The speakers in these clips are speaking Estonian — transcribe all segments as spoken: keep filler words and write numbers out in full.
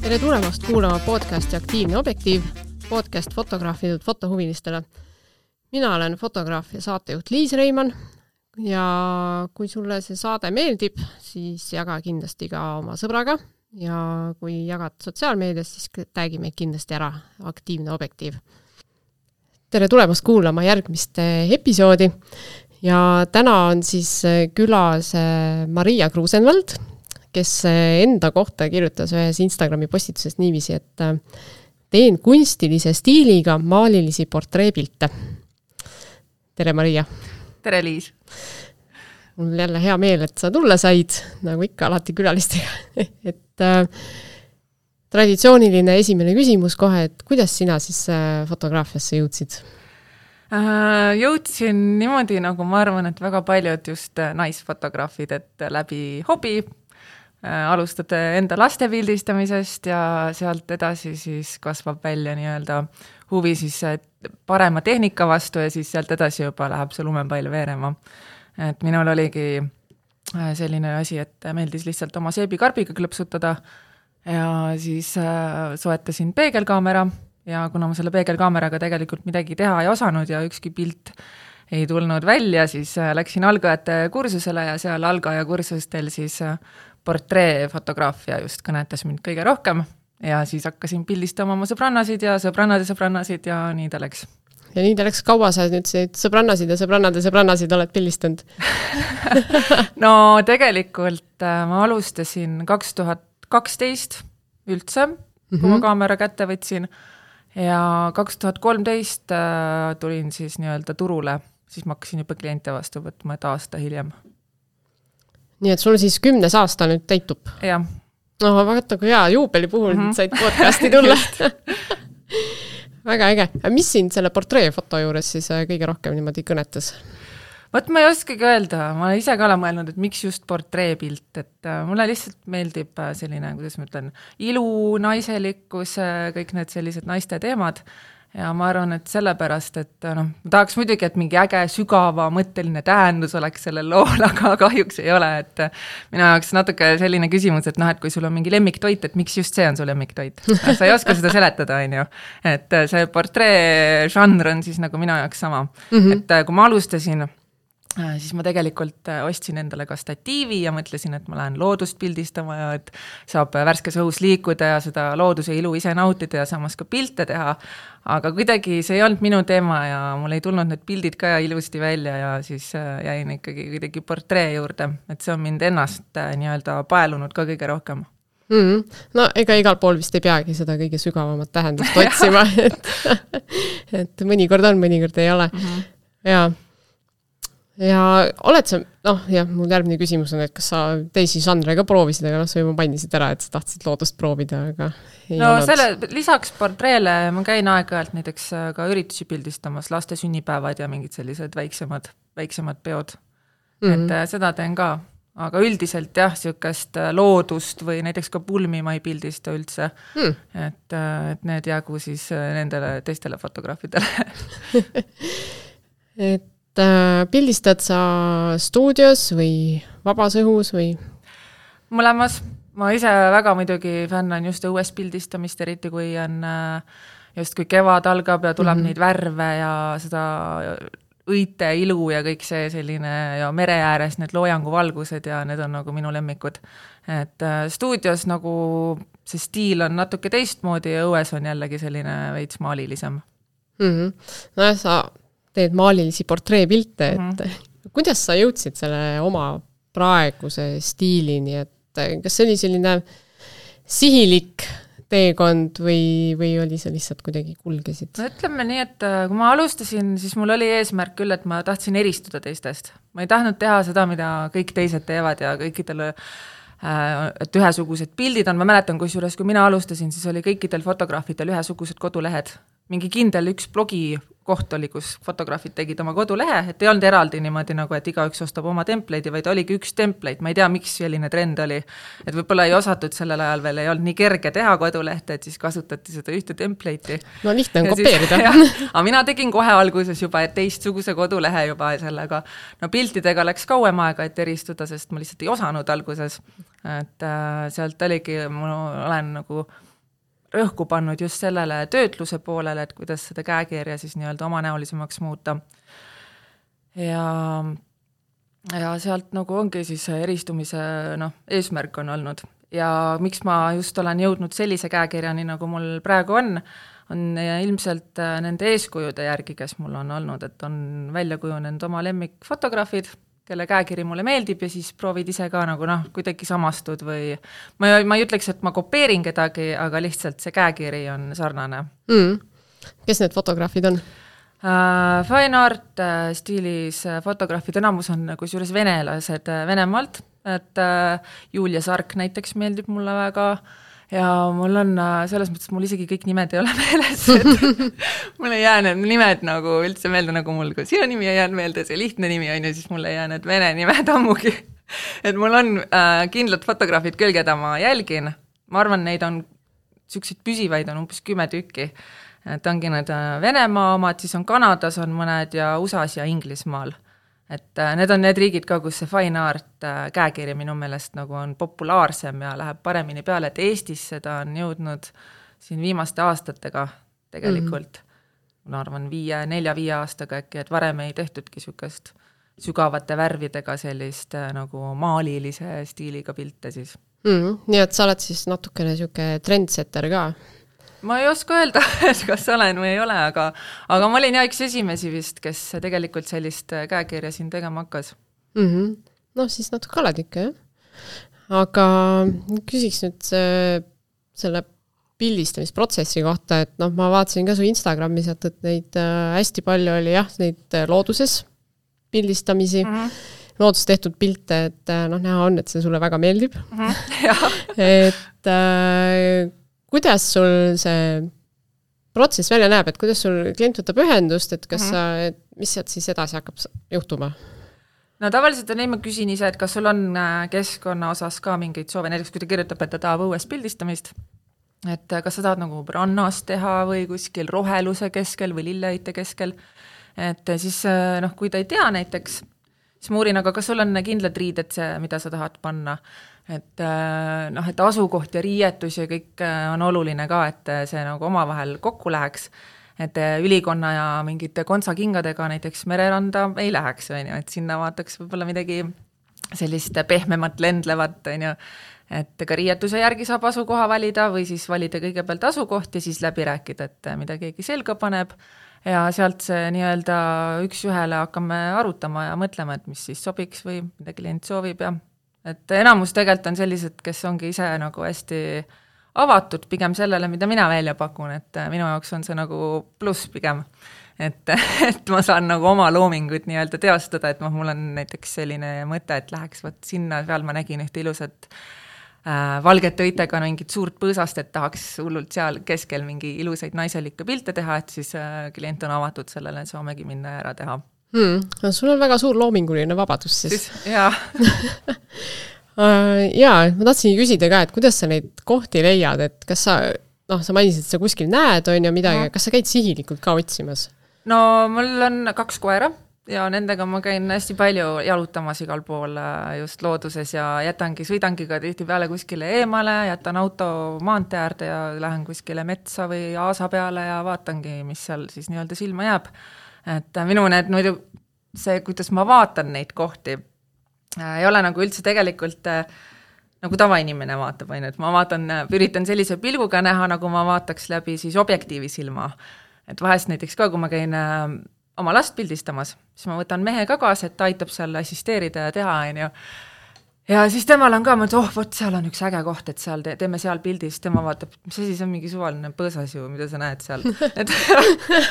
Tere tulemast kuulama podcasti Aktiivne objektiiv, podcast fotograafidelt fotohuvilistele. Mina olen fotograaf ja saatejuht Liis Reimann ja kui sulle see saade meeldib, siis jaga kindlasti ka oma sõbraga ja kui jagad sotsiaalmeedias, siis tagi meid kindlasti ära Aktiivne objektiiv. Tere tulemast kuulama järgmist episoodi ja täna on siis külas Maria Kruusenvald, kes enda kohta kirjutas ühes Instagrami postituses niiviisi, et teen kunstilise stiiliga maalilisi portreepilte. Tere Maria! Tere Liis! Mul on jälle hea meel, et sa tulla said, nagu ikka alati külalistega. et äh, traditsiooniline esimene küsimus kohe, et kuidas sina siis äh, fotograafiasse jõudsid? Äh, jõudsin niimoodi, nagu ma arvan, et väga paljud just naisfotograafid, et läbi hobi alustad enda laste pildistamisest ja sealt edasi siis kasvab välja nii-öelda huvi siis parema tehnika vastu ja siis sealt edasi juba läheb see lumepall veerema. Et minul oligi selline asi, et meeldis lihtsalt oma seebikarbiga klõpsutada ja siis soetasin peegelkaamera ja kuna ma selle peegelkaameraga tegelikult midagi teha ei osanud ja ükski pilt ei tulnud välja, siis läksin algajate kursusele ja seal algaja kursustel siis portreefotograafia just kõnetas mind kõige rohkem ja siis hakkasin pildistama oma sõbrannasid ja sõbrannade sõbrannasid ja nii ta läks. Ja nii ta läks, kaua sa nüüd sõbrannasid ja sõbrannade sõbrannasid oled pildistanud? No tegelikult ma alustasin kaks tuhat kaksteist üldse, kui mm-hmm. ma kaamera kätte võtsin ja kaks tuhat kolmteist tulin siis nii-öelda turule, siis ma hakkasin juba kliente vastu võtma, et aasta hiljem. Nii et sul siis kümnes aasta nüüd täitub? Jah. No vaata, kui hea juubeli puhul mm-hmm. said podcasti tulla. Väga äge. Mis siin selle portreefoto juures siis kõige rohkem niimoodi kõnetas? Võt ma ei oskagi öelda. Ma ise ka olen mõelnud, et miks just portreepilt. Et mulle lihtsalt meeldib selline, kuidas ma ütlen, ilu, naiselikkus, kõik need sellised naiste teemad. Ja ma arvan, et sellepärast, et no, ma tahaks muidugi, et mingi äge, sügava, mõtteline tähendus oleks sellel lool, aga kahjuks ei ole. Et minu jaoks natuke selline küsimus, et noh, et kui sul on mingi lemmiktoit, et miks just see on su lemmiktoit? Sa ei oska seda seletada, on ju. Et see portree žanr on siis nagu minu jaoks sama. Mm-hmm. Et kui ma alustasin, siis ma tegelikult ostsin endale ka statiivi ja mõtlesin, et ma lähen loodust pildistama ja et saab värskes õhus liikuda ja seda looduse ilu ise nautida ja samas ka pilte teha. Aga kuidagi see ei olnud minu teema ja mul ei tulnud need pildid ka ilusti välja ja siis jäin ikkagi kuidagi portree juurde. Et see on mind ennast nii-öelda paelunud ka kõige rohkem. Mm-hmm. No ega igal pool vist ei peagi seda kõige sügavamat tähendust otsima. et, et mõnikord on, mõnikord ei ole. Mm-hmm. Jaa. Ja oled sa, noh, jah, mul järgmine küsimus on, et kas sa teisi žanre ka proovisid, aga noh, sa juba mainisid ära, et sa tahtsid loodust proovida, aga ei no olnud. Selle, lisaks portreele ma käin aeg-ajalt näiteks ka üritusi pildistamas, laste sünnipäevad ja mingid sellised väiksemad, väiksemad peod. Mm-hmm. Et seda teen ka, aga üldiselt jah, siukest loodust või näiteks ka pulmi ma ei pildista üldse, mm. et, et need jagu siis nendele teistele fotograafidele. et pildistad sa stuudios või vabas õhus või? Mõlemas. Ma ise väga muidugi fännan just õues pildistamist, eriti kui on just kui kevad algab ja tuleb mm-hmm. neid värve ja seda õite ilu ja kõik see selline ja mere ääres need loojanguvalgused ja need on nagu minu lemmikud. Et stuudios nagu see stiil on natuke teistmoodi ja õues on jällegi selline veits maalilisem. Mm-hmm. No ja sa teed maalilisi portreepilte, et mm-hmm. kuidas sa jõudsid selle oma praeguse stiilini, et kas see oli selline sihilik teekond või, või oli see lihtsalt kuidagi kulgesid? No ütleme nii, et kui ma alustasin, siis mul oli eesmärk küll, et ma tahtsin eristuda teistest. Ma ei tahtnud teha seda, mida kõik teised teevad ja kõikidele et ühesugused pildid on. Ma mäletan, kusjuures, kui mina alustasin, siis oli kõikidel fotograafidel ühesugused kodulehed. Mingi kindel üks blogi koht oli, kus fotograafid tegid oma kodulehe, et ei olnud eraldi niimoodi nagu, et igaüks ostab oma template'i, vaid oligi üks template. Ma ei tea, miks selline trend oli. Et võib-olla ei osatud sellel ajal veel, ei olnud nii kerge teha kodulehte, et siis kasutati seda ühte template'i. No lihtne on kopeerida. Aga mina tegin kohe alguses juba teistsuguse kodulehe juba sellega. No piltidega läks kauem aega, et eristuda, sest ma lihtsalt ei osanud alguses. Et äh, sealt oligi, ma olen nagu rõhku pannud just sellele töötluse poolele, et kuidas seda käekirja siis nii-öelda omanäolisemaks muuta. Ja, ja sealt nagu ongi siis eristumise noh, eesmärk on olnud. Ja miks ma just olen jõudnud sellise käekirjani, nagu mul praegu on, on ilmselt nende eeskujude järgi, kes mul on olnud, et on välja kujunenud oma lemmikfotograafid, kelle käekiri mulle meeldib ja siis proovid ise ka nagu noh, kuidagi samastud või ma, ma ei ütleks, et ma kopeerin kedagi, aga lihtsalt see käekiri on sarnane. Mm. Kes need fotograafid on? Uh, fine art uh, stiilis uh, fotograafid, enamus on kusjuures venelased uh, Venemaalt, et uh, Julia Sark näiteks meeldib mulle väga ja mul on uh, selles mõttes, mul isegi kõik nimed ei ole meeles, et mul ei jää need nimed nagu üldse meelde, nagu mul ka sinu nimi ei jäänud meelde, see lihtne nimi on ja siis mul ei jää need vene nimed ammugi. Et mul on uh, kindlad fotograafid küll, keda ma jälgin, ma arvan, neid on selliseid püsivaid on umbes kümme tükki. Et ongi need Venemaa omad, siis on Kanadas on mõned ja U S A-s ja Inglismaal. Et need on need riigid ka, kus see fine art käekiri minu meelest nagu on populaarsem ja läheb paremini peale, et Eestis seda on jõudnud siin viimaste aastatega tegelikult. Mm-hmm. Ma arvan viie, nelja, viie aastaga äkki, et varem ei tehtudki sükast sügavate värvidega sellist nagu maalilise stiiliga pilte siis. Mm-hmm. Nii et sa oled siis natukene süke trendsetter ka? Ma ei oska öelda, et kas olen või ei ole, aga, aga ma olin ja üks esimesi vist, kes tegelikult sellist käekirja siin tegema hakkas. Mm-hmm. No siis natuke oled ikka, jah. Aga küsiks nüüd see, selle pildistamisprotsessi kohta, et noh, ma vaatasin ka su Instagramis, et neid äh, hästi palju oli jah, neid looduses pildistamisi, mm-hmm. loodus tehtud pilte, et noh, näha on, et see sulle väga meeldib. Mm-hmm. et äh, kuidas sul see protsess välja näeb, et kuidas sul klient võtab ühendust, et kas mm-hmm. sa, et mis sealt siis edasi hakkab juhtuma? No tavaliselt on nii, ma küsin ise, et kas sul on keskkonna osas ka mingeid soove, näiteks kui ta kirjutab, et ta tahab õues pildistamist, et kas sa tahad nagu rannas teha või kuskil roheluse keskel või lilleheite keskel, et siis noh, kui ta ei tea näiteks, siis ma uurin, aga kas sul on kindlad riided see, mida sa tahad panna, et noh, et asukoht ja riietus ja kõik on oluline ka, et see nagu omavahel kokku läheks, et ülikonna ja mingite kontsakingadega näiteks mereranda ei läheks, et sinna vaataks võib-olla midagi sellist pehmemat lendlevat, et ka riietuse järgi saab asukoha valida või siis valida kõigepealt asukoht ja siis läbi rääkida, et mida keegi selga paneb ja sealt see nii-öelda üks ühele hakkame arutama ja mõtlema, et mis siis sobiks või mida klient soovib ja et enamus tegelikult on sellised, kes ongi ise nagu hästi avatud pigem sellele, mida mina välja pakun, et minu jaoks on see nagu pluss pigem, et, et ma saan nagu oma loomingut nii-öelda teostada, et mul on näiteks selline mõte, et läheks võt sinna, peal ma nägin ühte ilusat äh, valgete õitega mingit suurt põõsast, et tahaks hullult seal keskel mingi ilusaid naiselikke pilte teha, et siis äh, klient on avatud sellele, et saamegi minna ära teha. Hmm. No, sul on väga suur loominguline vabadus siis. siis jaa. jaa, ma tahtsin küsida ka, et kuidas sa neid kohti leiad, et kas sa, noh, sa mainisid, et sa kuskil näed, on ja midagi, no. Kas sa käid sihilikult ka otsimas? No mul on kaks koera ja nendega ma käin hästi palju jalutamas igal pool just looduses ja jätangi, sõidangi ka tihti peale kuskile eemale, jätan auto maantee äärde ja lähen kuskile metsa või aasa peale ja vaatangi, mis seal siis nii-öelda silma jääb. Et minu need muidu see, kuidas ma vaatan neid kohti, ei ole nagu üldse tegelikult nagu tavainimene vaatab, et ma vaatan, üritan sellise pilguga näha, nagu ma vaataks läbi siis objektiivi silma. Et vahest näiteks ka, kui ma käin oma last pildistamas, siis ma võtan mehe ka kaasa, et ta aitab seal assisteerida ja teha, on ju. Ja siis temal on ka, ma ütlen, oh, võt, seal on üks äge koht, et seal te, teeme seal pildis, tema vaatab, mis asi, see on mingi suvaline põõsas ju, mida sa näed seal. Et,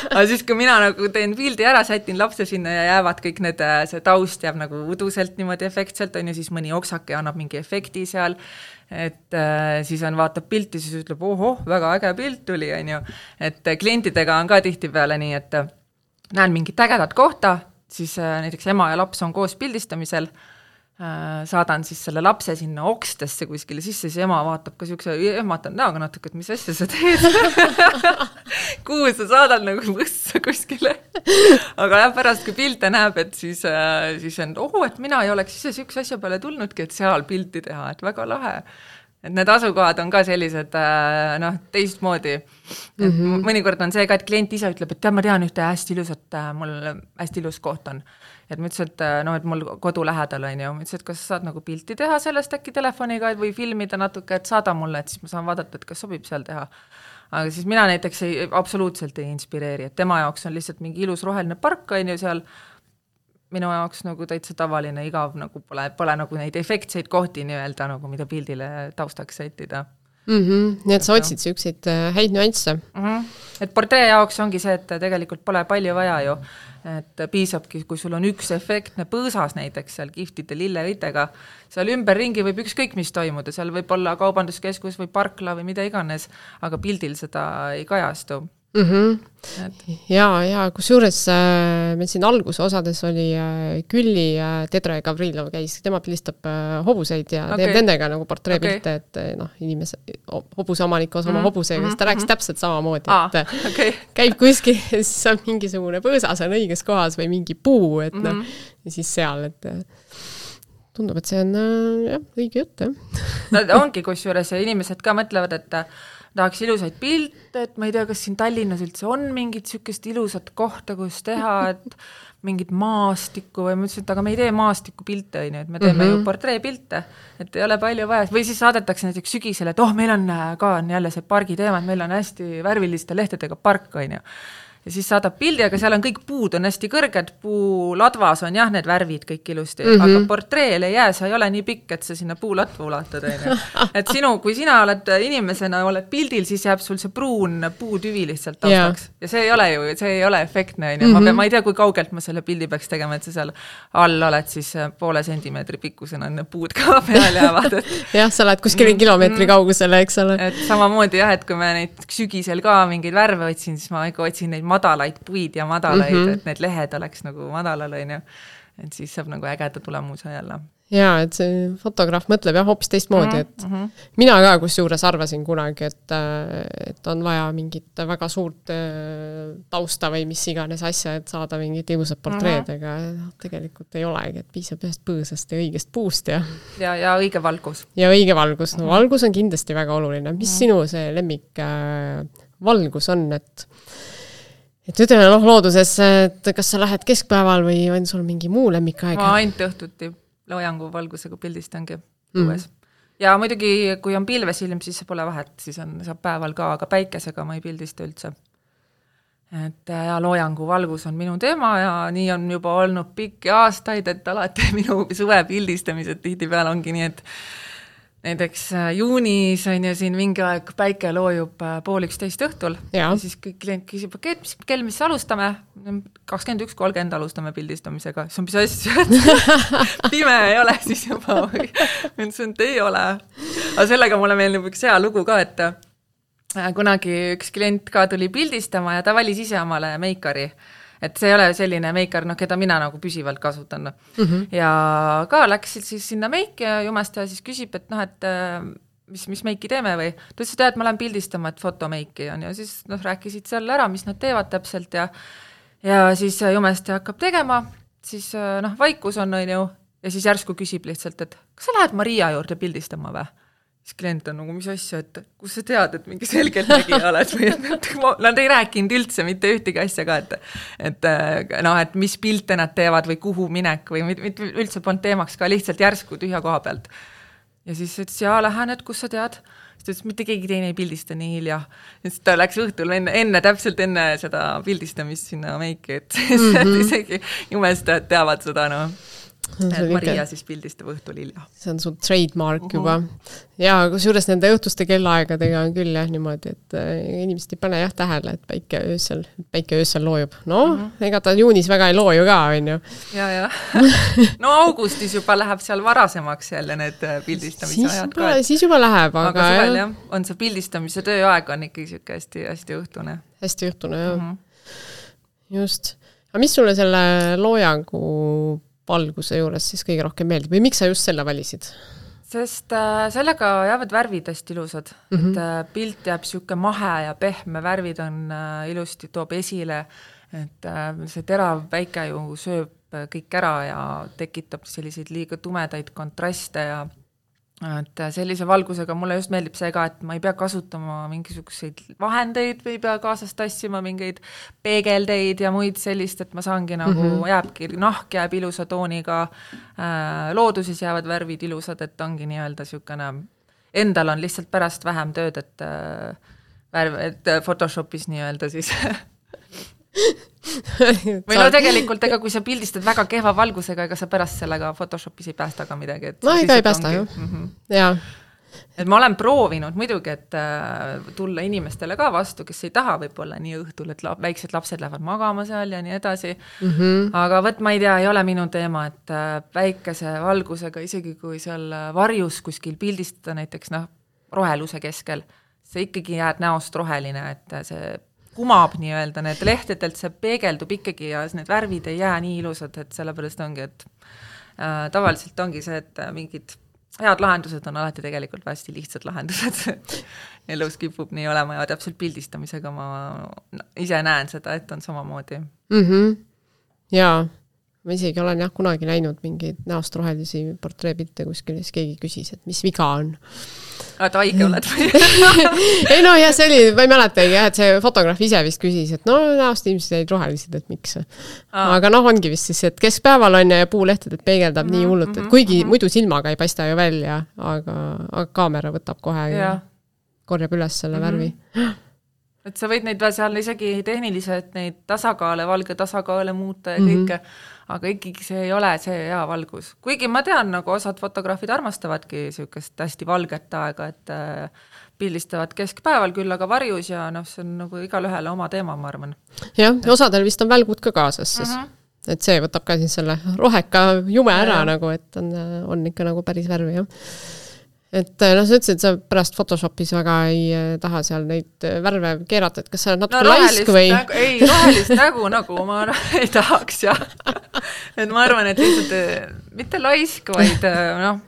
aga siis, kui mina nagu teen pildi ära, sätin lapse sinna ja jäävad kõik need, see taust jääb nagu uduselt niimoodi efektselt, on ju, siis mõni oksake annab mingi efekti seal, et äh, siis on vaatab pilti, siis ütleb, ohoh, väga äge pilt tuli, on ju. Et klientidega on ka tihti peale nii, et näen mingit ägedat kohta, siis äh, näiteks ema ja laps on koos pildistamisel, saadan siis selle lapse sinna okstesse kuskile sisse, siis ema vaatab ka siukse, ehmatan näoga natuke, et mis asja sa teed. Kuhu sa saadad nagu võssa kuskile. Aga jah, pärast kui pilte näeb, et siis, siis on, ohu, et mina ei oleks ise siukse asja peale tulnudki, et seal pilti teha, et väga lahe. et need asukohad on ka sellised noh, teistmoodi. Mm -hmm. mõnikord on see ka, et klient ise ütleb, et tead, ma tean ühte hästi ilusat, mul hästi ilus koht on. Et ma ütlesin, et, no, et mul kodu lähedal on ju, ma ütlesin, et kas sa saad nagu pilti teha sellest äkki telefoniga või filmida natuke, et saada mulle, et siis ma saan vaadata, et kas sobib seal teha. Aga siis mina näiteks ei, absoluutselt ei inspireeri, et tema jaoks on lihtsalt mingi ilus roheline park on ju seal, minu jaoks nagu täitsa tavaline igav, nagu pole, pole nagu neid efektseid kohti nii-öelda, nagu mida pildile taustaks sättida. Mm -hmm. Nii et sa otsid siukseid häid nüansse. Mm -hmm. Et portree jaoks ongi see, et tegelikult pole palju vaja ju, et piisabki, kui sul on üks efektne põõsas näiteks seal kihtide lilleõitega, seal ümberringi võib ükskõik mis toimuda, seal võib olla kaubanduskeskus või parkla või mida iganes, aga pildil seda ei kajastu. Mm -hmm. ja, ja kusjuures äh, meil siin alguse osades oli äh, Külli äh, Tedra Gavrilov käis, tema pilistab äh, hobuseid ja okay. teeb nendega nagu portreepilte, okay. et noh, inimese, hobuse omanik osa oma mm -hmm. hobusega, siis ta rääkis mm -hmm. täpselt samamoodi, ah, et okay. käib kuskil ja siis on mingisugune põõsas on õiges kohas või mingi puu, et mm -hmm. noh, ja siis seal, et tundub, et see on äh, jah, õige jutt, jah. no ongi kusjuures ja inimesed ka mõtlevad, et tahaks ilusaid pilte, et ma ei tea, kas siin Tallinnas üldse on mingit sükest ilusat kohta, kus teha, et mingit maastikku või ma ütlesin, et aga me ei tee maastiku pilte, et me teeme mm -hmm. ju portreepilte, et ei ole palju vaja. Või siis saadetakse näiteks sügisele, et oh, meil on ka on jälle see pargi teema, et meil on hästi värviliste lehtedega park, on ju. Ja siis saadab pildi, aga seal on kõik puud, on hästi kõrged, puuladvas on jah, need värvid kõik ilusti, mm -hmm. aga portreel ei jää, sa ei ole nii pikk, et sa sinna puulatva ulatad. Et sinu, kui sina oled inimesena, oled pildil, siis jääb sul see pruun puutüvi lihtsalt taustaks. Yeah. Ja see ei ole ju, see ei ole efektne. Mm -hmm. ma, pean, ma ei tea, kui kaugelt ma selle pildi peaks tegema, et sa seal all oled siis poole sentimeetri pikkusena, need puud ka peal jäävad. Et... jah, sa oled kuskil mm -hmm. kilomeetri kaugusele, eks ole. Et samamoodi jah, et kui me neid sügisel ka mingeid värve otsin, siis ma ikka otsin neid madalaid puid ja madalaid, mm -hmm. et need lehed oleks nagu madalal, on ju. Et siis saab nagu ägeda tulemuse jälle. Jaa, et see fotograaf mõtleb jah hoopis teistmoodi, et mm -hmm. mina ka kusjuures arvasin kunagi, et, et on vaja mingit väga suurt tausta või mis iganes asja, et saada mingit ilusat portreed, mm -hmm. aga tegelikult ei olegi, et piisab ühest põõsast ja õigest puust ja ja, ja õige valgus. Ja õige valgus, no valgus on kindlasti väga oluline. Mis mm -hmm. sinu see lemmik äh, valgus on, et et ütleme noh looduses, et kas sa lähed keskpäeval või on sul mingi muu lemmikaeg? Ma ainult õhtuti loojangu valgusega pildistangi õues. Mm. Ja muidugi, kui on pilvesilm, siis see pole vahet, siis on, saab päeval ka, aga päikesega ma ei pildista üldse. Et ja loojangu valgus on minu teema ja nii on juba olnud pikki aastaid, et alati minu suve pildistamised tihtipeale ongi nii, et näiteks juunis on ju siin mingi aeg päike loojub pool üksteist õhtul ja, ja siis kõik klient küsib, et mis kell, mis alustame? kakskümmend üks kolmkümmend alustame pildistamisega. See on mis asja, et pime ei ole siis juba või? Mõtlesin, et ei ole. Aga sellega mulle meeldib üks hea lugu ka, et kunagi üks klient ka tuli pildistama ja ta valis ise omale meikari. Et see ei ole selline meikar, noh, keda mina nagu püsivalt kasutan. No. Mm -hmm. Ja ka läksid siis sinna meiki ja jumast ja siis küsib, et noh, et mis, mis meiki teeme või? Ta ütles, et ma lähen pildistama, et fotomeiki on ja siis noh, rääkisid seal ära, mis nad teevad täpselt ja, ja siis jumast hakkab tegema, siis noh, vaikus on, on ju, ja siis järsku küsib lihtsalt, et kas sa lähed Maria juurde pildistama või? Siis klient on nagu, mis asja, et kus sa tead, et mingi selgelt nägija oled või et nad ei rääkinud üldse mitte ühtegi asja ka, et, et noh, et mis pilte nad teevad või kuhu minek või mit, üldse polnud teemaks ka lihtsalt järsku tühja koha pealt. Ja siis ütles, jaa, lähen, et kus sa tead? Siis ütles, mitte keegi teine ei pildista nii hilja. Siis ta läks õhtul enne, enne täpselt enne seda pildistamist sinna meiki, et mm -hmm. isegi jumestajad teavad seda, noh. Et Maria siis pildistab õhtul hilja. See on sul trademark uh -huh. juba. Ja kusjuures nende õhtuste kellaaegadega on küll jah niimoodi, et inimesed ei pane jah tähele, et päike öösel, päike öösel loojub. No, uh -huh. ega ta juunis väga ei looju ka, on ju. Ja, ja. No augustis juba läheb seal varasemaks jälle need pildistamise ajad juba, ka. Et... Siis juba läheb, aga... Aga suvel jah, on see pildistamise tööaeg on ikkagi siuke hästi, hästi õhtune. Hästi õhtune, jah. Uh -huh. Just. Aga mis sulle selle loojangu valguse juures siis kõige rohkem meeldib või miks sa just selle valisid? Sest äh, sellega jäävad värvid hästi ilusad, mm -hmm. et äh, pilt jääb siuke mahe ja pehme, värvid on äh, ilusti, toob esile, et äh, see terav päike ju sööb kõik ära ja tekitab selliseid liiga tumedaid kontraste ja et sellise valgusega mulle just meeldib see ka, et ma ei pea kasutama mingisuguseid vahendeid või ei pea kaasast tassima mingeid peegeldeid ja muid sellist, et ma saangi nagu mm -hmm. jääbki, nahk jääb ilusa tooniga, äh, looduses jäävad värvid ilusad, et ongi nii-öelda siukene, endal on lihtsalt pärast vähem tööd, et äh, värv, et Photoshopis nii-öelda siis või no tegelikult, ega kui sa pildistad väga kehva valgusega, ega sa pärast sellega Photoshopis ei päästa ka midagi. Et no ega ei päästa, ju. Mm -hmm. Jaa. Et ma olen proovinud muidugi, et äh, tulla inimestele ka vastu, kes ei taha võib-olla nii õhtul, et la- väiksed lapsed lähevad magama seal ja nii edasi. Mm -hmm. Aga võt, ma ei tea, ei ole minu teema, et äh, väikese valgusega, isegi kui seal varjus kuskil pildistada näiteks noh, roheluse keskel, see ikkagi jääd näost roheline, et see kumab nii-öelda, need lehtedelt see peegeldub ikkagi ja need värvid ei jää nii ilusad, et sellepärast ongi, et äh, tavaliselt ongi see, et mingid head lahendused on alati tegelikult hästi lihtsad lahendused. Elus kipub nii olema ja täpselt pildistamisega ma no, ise näen seda, et on samamoodi. Mm-hmm. Jaa, ma isegi olen jah kunagi näinud mingeid näost rohelisi portreepilte kuskil, siis keegi küsis, et mis viga on. Et haige oled või? ei no jah, see oli, ma ei mäletagi jah, et see fotograaf ise vist küsis, et no näost inimesed jäid rohelised, et miks. Aa. Aga noh, ongi vist siis, et keskpäeval on ja puulehtedelt peegeldab mm-hmm, nii hullult, et kuigi mm-hmm. muidu silmaga ei paista ju välja, aga, aga kaamera võtab kohe ja korjab üles selle mm-hmm. värvi. Et sa võid neid seal isegi tehniliselt neid tasakaale, valge tasakaale muuta ja mm-hmm. kõike, aga ikkagi see ei ole see hea valgus. Kuigi ma tean, nagu osad fotograafid armastavadki siukest hästi valget aega, et äh, pildistavad keskpäeval küll, aga varjus ja noh, see on nagu igal ühele oma teema, ma arvan. Jah, osadel vist on välgud ka kaasas siis. Mm-hmm. Et see võtab ka siis selle roheka jume ära ja. Nagu, et on, on ikka nagu päris värvi, jah. Et noh, sa ütlesid, et sa pärast Photoshopis väga ei taha seal neid värve keerata, et kas sa oled natuke no, laisk või? Nägu, ei, rohelist nägu nagu ma ei tahaks, jah. Et ma arvan, et lihtsalt mitte laisk, vaid noh,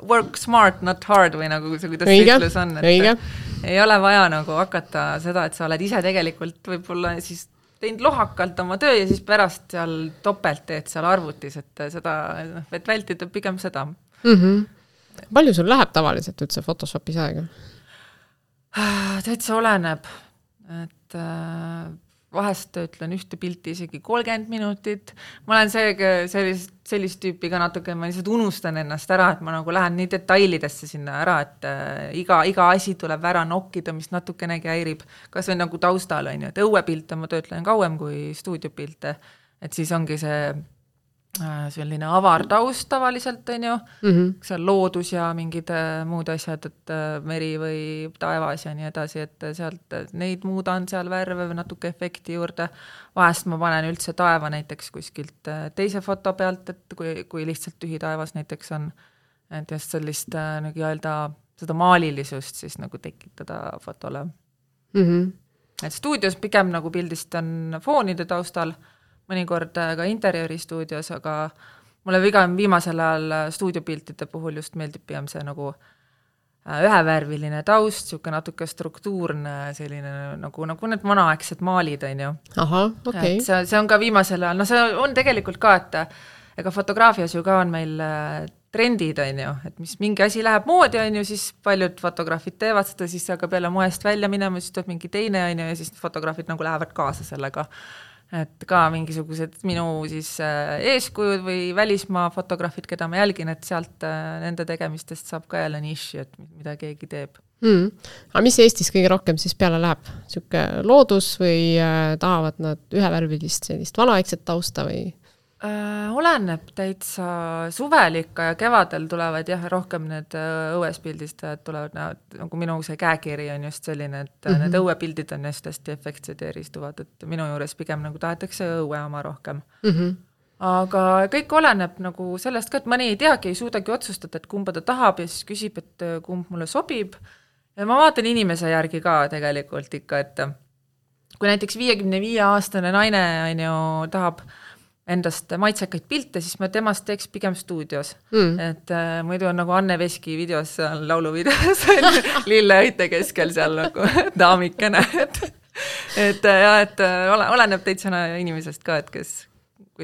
work smart, not hard või nagu see, kuidas see ütlus on. Et ei ole vaja nagu hakata seda, et sa oled ise tegelikult võib-olla siis teinud lohakalt oma töö ja siis pärast seal topelt teed seal arvutis, et seda, et vältida pigem seda. Mhm. Palju sul läheb tavaliselt üldse Photoshopis aega? Täitsa oleneb, et äh, vahest ütlen ühte pilti isegi kolmkümmend minutit. Ma olen see, sellist, sellist tüüpi ka natuke, ma lihtsalt unustan ennast ära, et ma nagu lähen nii detailidesse sinna ära, et äh, iga, iga asi tuleb ära nokkida, mis natukenegi häirib. Kas või nagu taustal on ju, et õuepilte ma töötlen kauem kui stuudiopilte, et siis ongi see selline avar taust tavaliselt, on ju, mm-hmm. seal loodus ja mingid muud asjad, et meri või taevas ja nii edasi, et sealt neid muudan seal värve või natuke efekti juurde. Vahest ma panen üldse taeva näiteks kuskilt teise foto pealt, et kui, kui lihtsalt tühi taevas näiteks on, et just sellist nagu öelda, seda maalilisust siis nagu tekitada fotole. Mm-hmm. Et stuudios pigem nagu pildistan foonide taustal, mõnikord ka interjööristuudios, aga mulle vigam viimasel ajal stuudiopiltide puhul just meeldib pigem see nagu ühevärviline taust, siuke natuke struktuurne selline nagu, nagu need vanaaegsed maalid, on ju. Aha, okei. Okay. See, see on ka viimasel ajal, no see on tegelikult ka, et ega fotograafias ju ka on meil trendid, on ju, et mis mingi asi läheb moodi, on ju, siis paljud fotograafid teevad seda, siis aga peale moest välja minema, siis tuleb mingi teine, on ju, ja siis fotograafid nagu lähevad kaasa sellega. Et ka mingisugused minu siis eeskujud või välismaa fotograafid, keda ma jälgin, et sealt nende tegemistest saab ka jälle niši, et mida keegi teeb. Mm. Aga mis Eestis kõige rohkem siis peale läheb? Siuke loodus või tahavad nad ühevärvilist sellist vanaaegset tausta või? Äh, oleneb täitsa suvel ikka ja kevadel tulevad jah, rohkem need õues pildistajad tulevad, nagu minu see käekiri on just selline, et mm-hmm. need õuepildid on just hästi efektsed ja eristuvad, et minu juures pigem nagu tahetakse õue oma rohkem. Mm-hmm. Aga kõik oleneb nagu sellest ka, et mõni ei teagi, ei suudagi otsustada, et kumba ta tahab ja siis küsib, et kumb mulle sobib. Ja ma vaatan inimese järgi ka tegelikult ikka, et kui näiteks viiekümne viie aastane naine on ju, tahab endast maitsekaid pilte, siis ma temast teeks pigem stuudios. Mm. Et äh, muidu on nagu Anne Veski videos, lauluvideos, lilleõite keskel seal nagu daamikene. Et, et, ja, et ole, oleneb teitsena inimesest ka, et kes,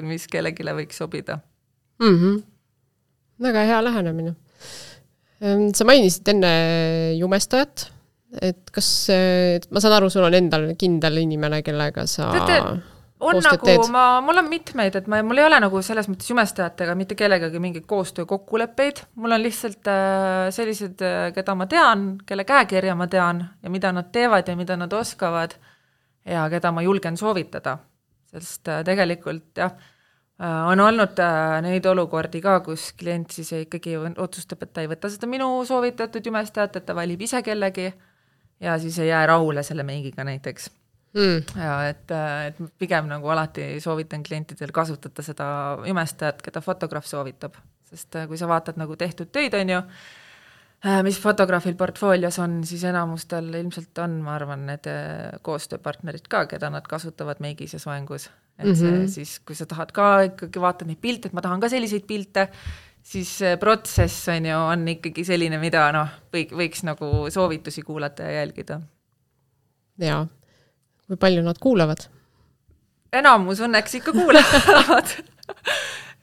mis kellegile võiks sobida. Mm-hmm. Väga hea lähenemine. Sa mainisid enne jumestajat, et kas, et ma saan aru, sul on endal kindel inimene, kellega sa Tete, on nagu, ma, mul on mitmeid, et ma, mul ei ole nagu selles mõttes jumestajatega mitte kellegagi mingeid koostöö kokkuleppeid, mul on lihtsalt äh, sellised, keda ma tean, kelle käekirja ma tean ja mida nad teevad ja mida nad oskavad ja keda ma julgen soovitada, sest äh, tegelikult jah, äh, on olnud äh, neid olukordi ka, kus klient siis ikkagi otsustab, et ta ei võta seda minu soovitatud jumestajat, et ta valib ise kellegi ja siis ei jää rahule selle meigiga näiteks. Mm. Ja et, et pigem nagu alati soovitan klientidel kasutada seda jumestajat, keda fotograaf soovitab, sest kui sa vaatad nagu tehtud töid, on ju, mis fotograafil portfoolios on, siis enamustel ilmselt on, ma arvan, need koostööpartnerid ka, keda nad kasutavad meigis ja soengus. Et see, mm-hmm. siis, kui sa tahad ka ikkagi vaatad neid pilte, et ma tahan ka selliseid pilte, siis protsess on ju on ikkagi selline, mida noh, võiks, võiks nagu soovitusi kuulata ja jälgida. Jaa. Kui palju nad kuulavad? Enamus õnneks ikka kuulavad.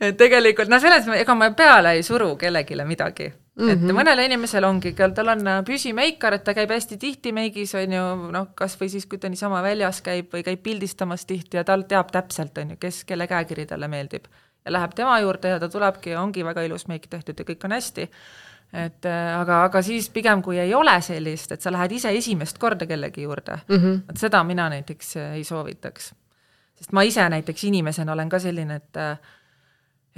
Et tegelikult, no selles, ega ma peale ei suru kellegile midagi. Mm-hmm. Et mõnele inimesel ongi, tal on püsimeikar, et ta käib hästi tihti meigis, on ju, noh, kas või siis, kui ta niisama väljas käib või käib pildistamas tihti ja tal teab täpselt, on ju, kes, kelle käekiri talle meeldib. Ja läheb tema juurde ja ta tulebki ja ongi väga ilus meik tehtud ja kõik on hästi. Et, aga, aga siis pigem, kui ei ole sellist, et sa lähed ise esimest korda kellegi juurde, mm-hmm. et seda mina näiteks ei soovitaks. Sest ma ise näiteks inimesena olen ka selline, et,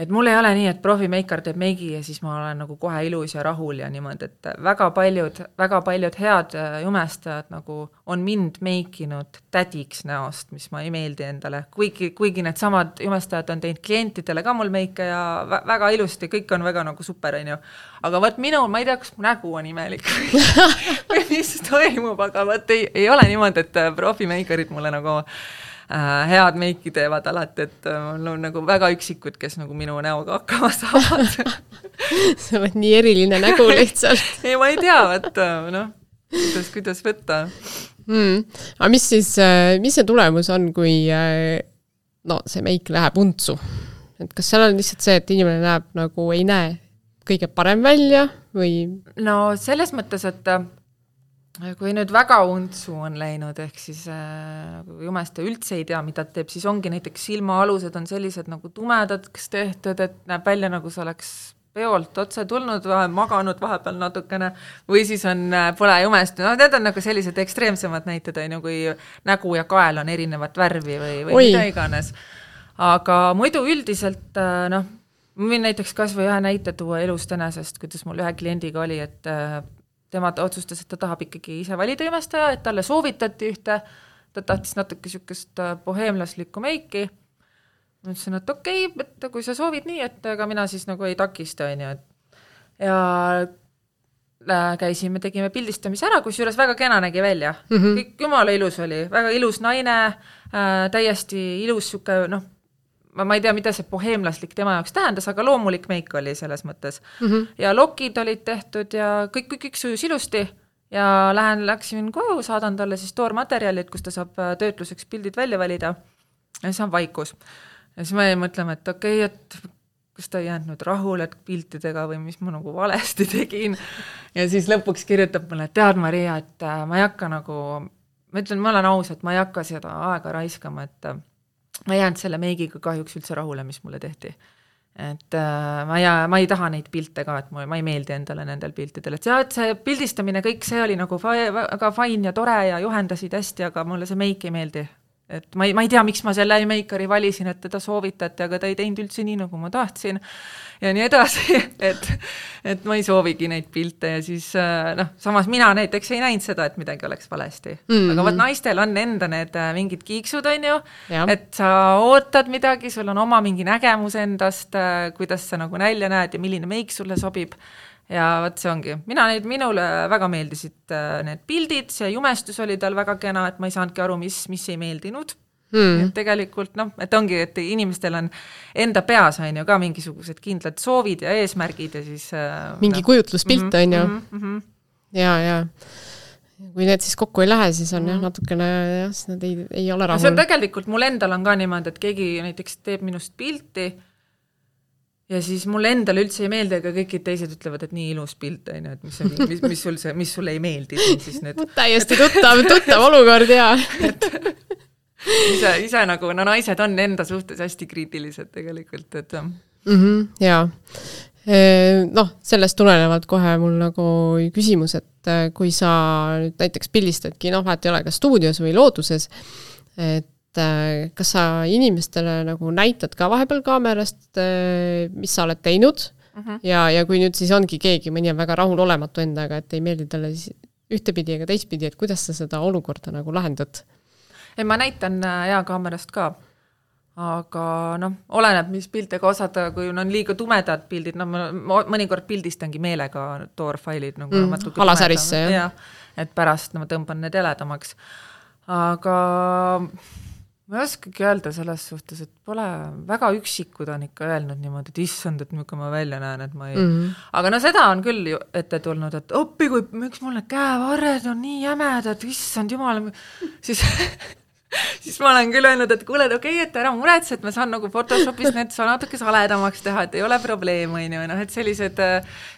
et mul ei ole nii, et profimeikar teeb meigi ja siis ma olen nagu kohe ilus ja rahul ja niimoodi, et väga paljud, väga paljud head jumestajad nagu on mind meikinud tädiks näost, mis ma ei meeldi endale. Kuigi, kuigi need samad jumestajad on teinud klientidele ka mul meike ja väga ilusti, kõik on väga nagu super, on ju. Aga võt minul, ma ei tea, kas mu nägu on imelik või mis toimub, aga võt ei, ei ole niimoodi, et profimeikarid mulle nagu head meiki teevad alati, et mul on nagu väga üksikud, kes nagu minu näoga hakkama saavad. Sa oled nii eriline nägu lihtsalt. Ei, ma ei tea, et noh, kuidas, kuidas võtta. Hmm. Aga mis siis, mis see tulemus on, kui no, see meik läheb untsu? Et kas seal on lihtsalt see, et inimene näeb nagu ei näe kõige parem välja või? No selles mõttes, et kui nüüd väga untsu on läinud, ehk siis äh, jumesta üldse ei tea, mida teeb, siis ongi näiteks silmaalused on sellised nagu tumedad, kes tehtud, et näeb välja nagu see oleks peolt otse tulnud, maganud vahepeal natukene, või siis on, pole jumest, no need on nagu sellised ekstreemsemad näited, kui nägu ja kael on erinevat värvi või, või mida iganes. Aga muidu üldiselt, noh, ma võin näiteks kas või ühe näite tuua elust enesest, kuidas mul ühe kliendiga oli, et tema otsustas, et ta tahab ikkagi ise valida jumestaja, et talle soovitati ühte, ta tahtis natuke sükest boheemlaslikku meiki. Ma ütlesin, et okei, okay, et kui sa soovid nii, et aga mina siis nagu ei takista, on ju. Ja käisime, tegime pildistamise ära, kus juures väga kena nägi välja. Mm-hmm. Kõik jumala ilus oli, väga ilus naine, täiesti ilus süke, noh, ma, ma ei tea, mida see boheemlaslik tema jaoks tähendas, aga loomulik meik oli selles mõttes. Mm-hmm. Ja lokid olid tehtud ja kõik, kõik, kõik sujus ilusti ja lähen, läksin koju, saadan talle siis toormaterjalid, kus ta saab töötluseks pildid välja valida ja siis on vaikus. Ja siis me mõtleme, et okei, okay, et kas ta ei jäänud nüüd rahule piltidega või mis ma nagu valesti tegin. Ja siis lõpuks kirjutab mulle, et tead Maria, et ma ei hakka nagu, ma ütlen, ma olen aus, et ma ei hakka seda aega raiskama, et ma jäänud selle meigiga kahjuks üldse rahule, mis mulle tehti. Et äh, ma, ei, ma ei taha neid pilte ka, et ma, ma ei meeldi endale nendel piltidel. Et see, et see pildistamine, kõik see oli nagu väga fine ja tore ja juhendasid hästi, aga mulle see meik ei meeldi. Et ma ei, ma ei tea, miks ma selle meikari valisin, et teda soovitati, aga ta ei teinud üldse nii, nagu ma tahtsin. Ja nii edasi, et, et ma ei soovigi neid pilte ja siis, noh, samas mina näiteks ei näinud seda, et midagi oleks valesti. Mm-hmm. Aga võt naistel on enda need mingid kiiksud, on ju, ja. Et sa ootad midagi, sul on oma mingi nägemus endast, kuidas sa nagu nälja näed ja milline meik sulle sobib. Ja võt see ongi. Mina neid, minule väga meeldisid need pildid, see jumestus oli tal väga kena, et ma ei saanudki aru, mis, mis ei meeldinud. Hmm. Et tegelikult, noh, et ongi, et inimestel on enda peas on ju ka mingisugused kindlad soovid ja eesmärgid ja siis mingi no. Kujutluspilt mm-hmm, on ju mm-hmm. ja, ja kui need siis kokku ei lähe, siis on mm-hmm. jah, natukene jah, nad ei, ei ole rahul. See on tegelikult, mul endal on ka niimoodi, et keegi näiteks teeb minust pilti ja siis mulle endale üldse ei meeldi, aga kõikid teised ütlevad, et nii ilus pilt, on ju, et mis, mis, mis, sul see, mis sulle ei meeldi. Siis need... täiesti tuttav, tuttav olukord, jaa. et ise, ise nagu, no naised on enda suhtes hästi kriitilised tegelikult, et mm-hmm, jaa. Noh, sellest tulenevalt kohe mul nagu küsimus, et kui sa nüüd näiteks pildistadki, noh, vaat ei ole ka stuudios või looduses, et kas sa inimestele nagu näitad ka vahepeal kaamerast, mis sa oled teinud uh-huh. ja, ja kui nüüd siis ongi keegi, mõni on väga rahul olematu endaga, et ei meeldi talle ühtepidi ega teistpidi, et kuidas sa seda olukorda nagu lahendad? Ei, ma näitan hea kaamerast ka. Aga noh, oleneb, mis piltega osata, kui on liiga tumedad pildid, no ma mõnikord pildistangi meelega toorfailid nagu mm, halasärisse, jah. Ja, et pärast no, ma tõmban need heledamaks. Aga ma ei oskagi öelda selles suhtes, et pole väga üksikud on ikka öelnud niimoodi, et issand, et milline ma välja näen, et ma ei... Mm-hmm. Aga no seda on küll ju ette tulnud, et oppi, kui miks mul need käevarred on nii jämedad, issand jumal, siis... siis ma olen küll öelnud, et kuule, et okei, okay, et ära muretse, et ma saan nagu Photoshopis need sa natuke saledamaks teha, et ei ole probleem, on ju, noh, et sellised,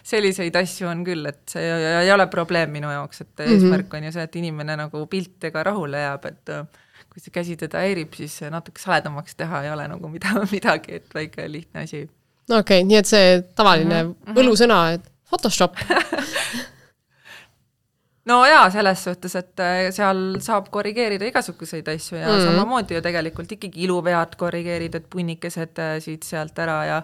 selliseid asju on küll, et see ei ole probleem minu jaoks, et mm-hmm. eesmärk on ju see, et inimene nagu piltega rahule jääb, et kui see käsi teda häirib, siis natuke saledamaks teha ei ole nagu mida, midagi, et väike lihtne asi. No okei, okay, nii et see tavaline mm-hmm. võlusõna, et Photoshop. No jaa, selles suhtes, et seal saab korrigeerida igasuguseid asju ja mm-hmm. samamoodi ju tegelikult ikkagi iluvead korrigeerida, et punnikesed siit sealt ära ja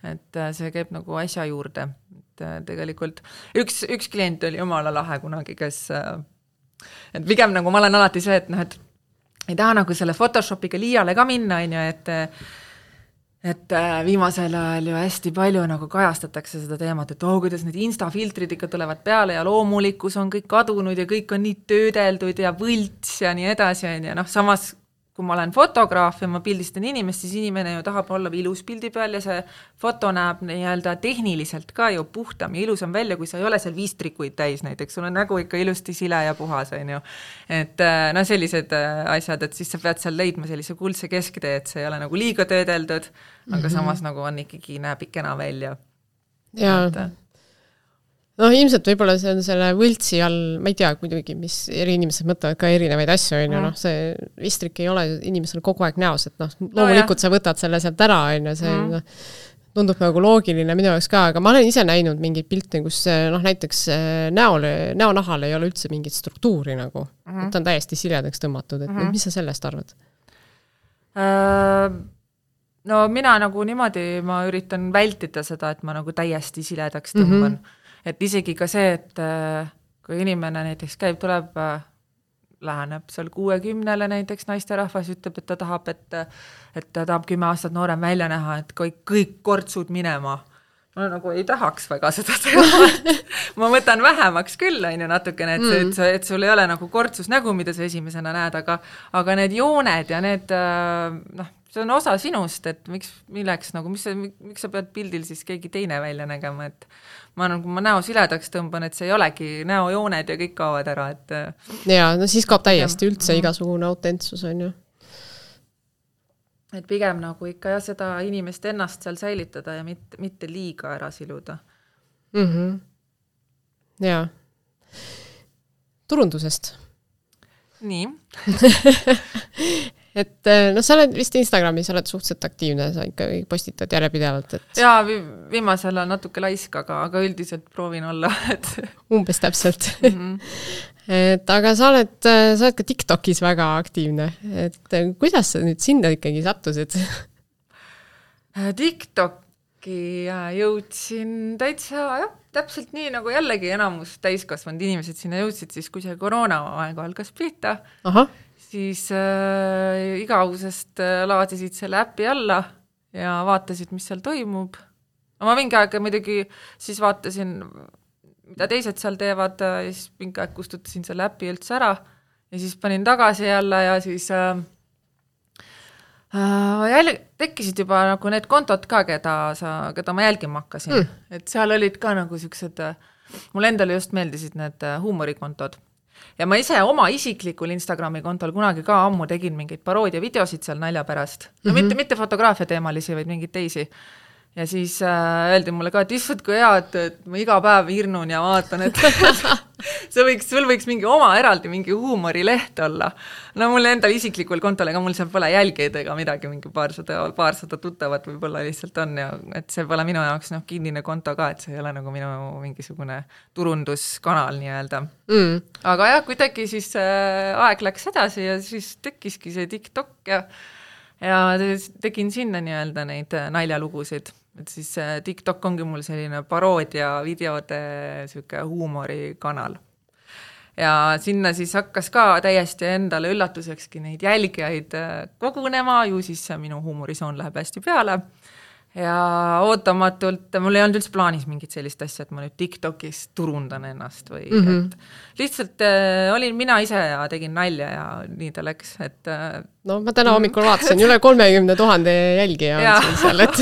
et see käib nagu asja juurde. Et tegelikult üks, üks klient oli jumala lahe kunagi, kes et pigem nagu ma olen alati see, et noh, et ei taha nagu selle Photoshopiga liiale ka minna, on ju, et et viimasel ajal ju hästi palju nagu kajastatakse seda teemat, et oh, kuidas need instafiltrid ikka tulevad peale ja loomulikkus on kõik kadunud ja kõik on nii töödeldud ja võlts ja nii edasi, ja noh, samas kui ma olen fotograaf ja ma pildistan inimest, siis inimene ju tahab olla ilus pildi peal ja see foto näeb nii-öelda tehniliselt ka ju puhtam ja ilusam välja, kui sa ei ole seal viis trikuid täis näiteks, sul on nägu ikka ilusti sile ja puhas, on ju. Et no sellised asjad, et siis sa pead seal leidma sellise kuldse kesktee, et see ei ole nagu liiga töödeldud, aga mm-hmm. samas nagu on ikkagi näeb ikena välja. Ja et, noh, ilmselt võib-olla see on selle võltsi all, ma ei tea kuidagi, mis eri inimesed mõtlevad ka erinevaid asju, on ju, noh, see vistrik ei ole inimesel kogu aeg näos, et noh, loomulikult no, sa võtad selle sealt ära, on ju, see mm. no, tundub nagu loogiline minu jaoks ka, aga ma olen ise näinud mingid pilte, kus noh, näiteks näole, näonahal ei ole üldse mingit struktuuri nagu, mm. et on täiesti siledaks tõmmatud, et mm. mis sa sellest arvad? Uh... No mina nagu niimoodi, ma üritan vältida seda, et ma nagu täiesti siledaks tõmban. Mm-hmm. Et isegi ka see, et kui inimene näiteks käib, tuleb, läheneb seal kuuekümnele näiteks naisterahvas, ütleb, et ta tahab, et, et ta tahab kümme aastat noorem välja näha, et kõik, kõik kortsud minema. Ma nagu ei tahaks väga seda teha. Ma võtan vähemaks küll, on ju natukene, et, mm. et, et sul ei ole nagu kortsus nägu, mida sa esimesena näed, aga, aga need jooned ja need, noh, see on osa sinust, et miks, milleks, nagu, mis, miks sa pead pildil siis keegi teine välja nägema, et ma nagu ma näo siledaks tõmban, et see ei olegi näojooned ja kõik kaovad ära, et ja, no siis kaob täiesti üldse mm. igasugune autentsus, on ju. Et pigem nagu ikka ja seda inimest ennast seal säilitada ja mitte, mitte liiga ära siluda. Mm-hmm. Ja. Turundusest. Nii. Et no sa oled vist Instagramis, sa oled suhteliselt aktiivne, sa ikka postitad järjepidevalt. Et... Jaa, vi- viimasel on natuke laisk, aga, aga üldiselt proovin olla. Et... Umbes täpselt. Mm-hmm. Et, aga sa oled, sa oled ka TikTokis väga aktiivne. Et kuidas sa nüüd sinna ikkagi sattusid? TikToki jõudsin täitsa, jah, täpselt nii nagu jällegi enamus täiskasvanud inimesed sinna jõudsid, siis kui see koroona aeg algas pihta. Aha. Siis äh, igausest äh, laadisid selle äppi alla ja vaatasid, mis seal toimub. Ma mingi aeg muidugi siis vaatasin, mida teised seal teevad ja siis mingi aeg kustutasin selle äppi üldse ära ja siis panin tagasi jälle ja siis äh, äh, jäl- tekkisid juba nagu need kontod ka, keda, sa, keda ma jälgima hakkasin. Mm. Et seal olid ka nagu siuksed, mul endale just meeldisid need huumorikontod. Ja ma ise oma isiklikul Instagrami kontol kunagi ka ammu tegin mingeid paroodia videosid seal nalja pärast. No mm-hmm. mitte, mitte fotograafia teemalisi, vaid mingeid teisi. ja siis äh, öeldi mulle ka, et issand, kui hea, et, et ma iga päev hirnun ja vaatan, et see võiks, sul võiks mingi oma eraldi mingi huumorileht olla. No mul endal isiklikul kontol, ega mul seal pole jälgeid ega midagi, mingi paarsada, paarsada tuttavat võib-olla lihtsalt on ja et see pole minu jaoks noh, kinnine konto ka, et see ei ole nagu minu mingisugune turunduskanal nii-öelda. Mm. Aga jah, kuidagi siis äh, aeg läks edasi ja siis tekkiski see TikTok ja ja tegin sinna nii-öelda neid naljalugusid, et siis TikTok ongi mul selline paroodia videode siuke huumorikanal. Ja sinna siis hakkas ka täiesti endale üllatusekski neid jälgijaid kogunema, ju siis minu huumorisoon läheb hästi peale. Ja ootamatult, mul ei olnud üldse plaanis mingit sellist asja, et ma nüüd TikTokis turundan ennast või mm-hmm. et lihtsalt äh, olin mina ise ja tegin nalja ja nii ta läks, et äh, no ma täna hommikul vaatasin, üle kolmekümne tuhande jälgija on siin seal, et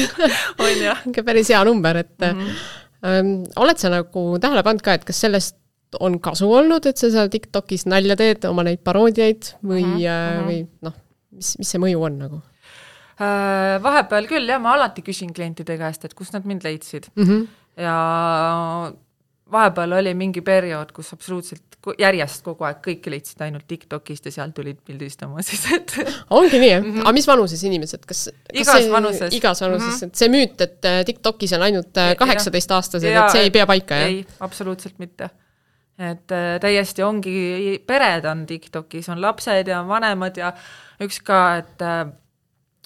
on jah. päris hea number, et mm-hmm. ähm, oled sa nagu tähele pannud ka, et kas sellest on kasu olnud, et sa seal TikTokis nalja teed oma neid paroodiaid või, mm-hmm. või noh, mis, mis see mõju on nagu? Vahepeal küll, jah, ma alati küsin klientide käest, et kus nad mind leidsid. Mm-hmm. Ja vahepeal oli mingi periood, kus absoluutselt järjest kogu aeg kõik leidsid ainult TikTokist ja seal tulid pildistama siis, et ongi nii, mm-hmm. aga mis vanuses inimesed? Kas, kas igas see, vanuses. Igas vanuses, mm-hmm. et see müüt, et TikTokis on ainult kaheksateist aastased, et see ei pea paika, jah? Ei, absoluutselt mitte. Et täiesti ongi, pered on TikTokis, on lapsed ja vanemad ja üks ka, et